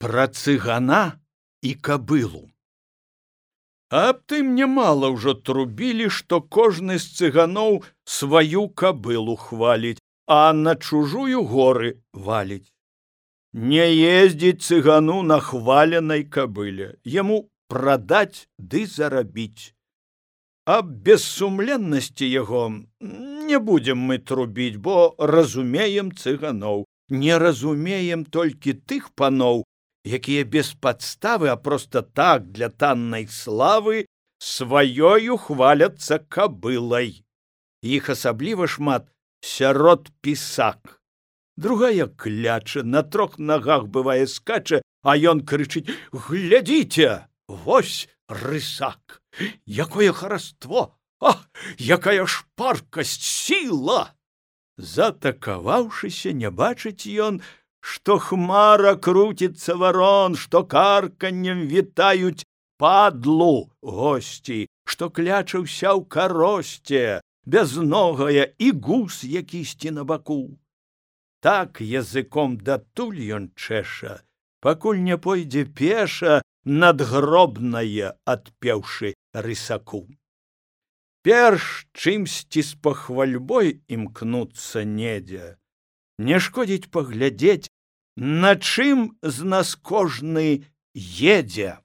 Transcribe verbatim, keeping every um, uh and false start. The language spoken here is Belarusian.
Пра цыгана і кабылу. Аб тым нямала ўжо трубілі, што кожны з цыганоў сваю кабылу хваліць, а на чужую горы валіць. Не ездзіць цыгану на хваленай кабыле, яму прадаць ды зарабіць. Аб бессумленнасці яго не будзем мы трубіць, бо разумеем цыганоў, не разумеем толькі тых паноў, якія без падставы, а проста так для таннай славы сваёю хваляцца кабылай. Іх асабліва шмат сярод пісак. Другая кляча, на трох нагах бывае скача, а ён крычыць: «Глядзіце, вось рысак! Якое хараство! Ах, якая шпаркасць, сіла!» Затакаваўшыся, не бачыць ён, што хмара круціцца варон, што карканнем вітаюць падлу госці, што кляча ўся ў каросце, бязногая і гус якісьці на баку. Так языком датуль ён чэша, пакуль не пойдзе пеша надгробнае, адпеўшы рысаку. Перш чымсьці з пахвальбой імкнуцца недзе, не шкодзіць паглядзець, на чым з нас кожны едзе.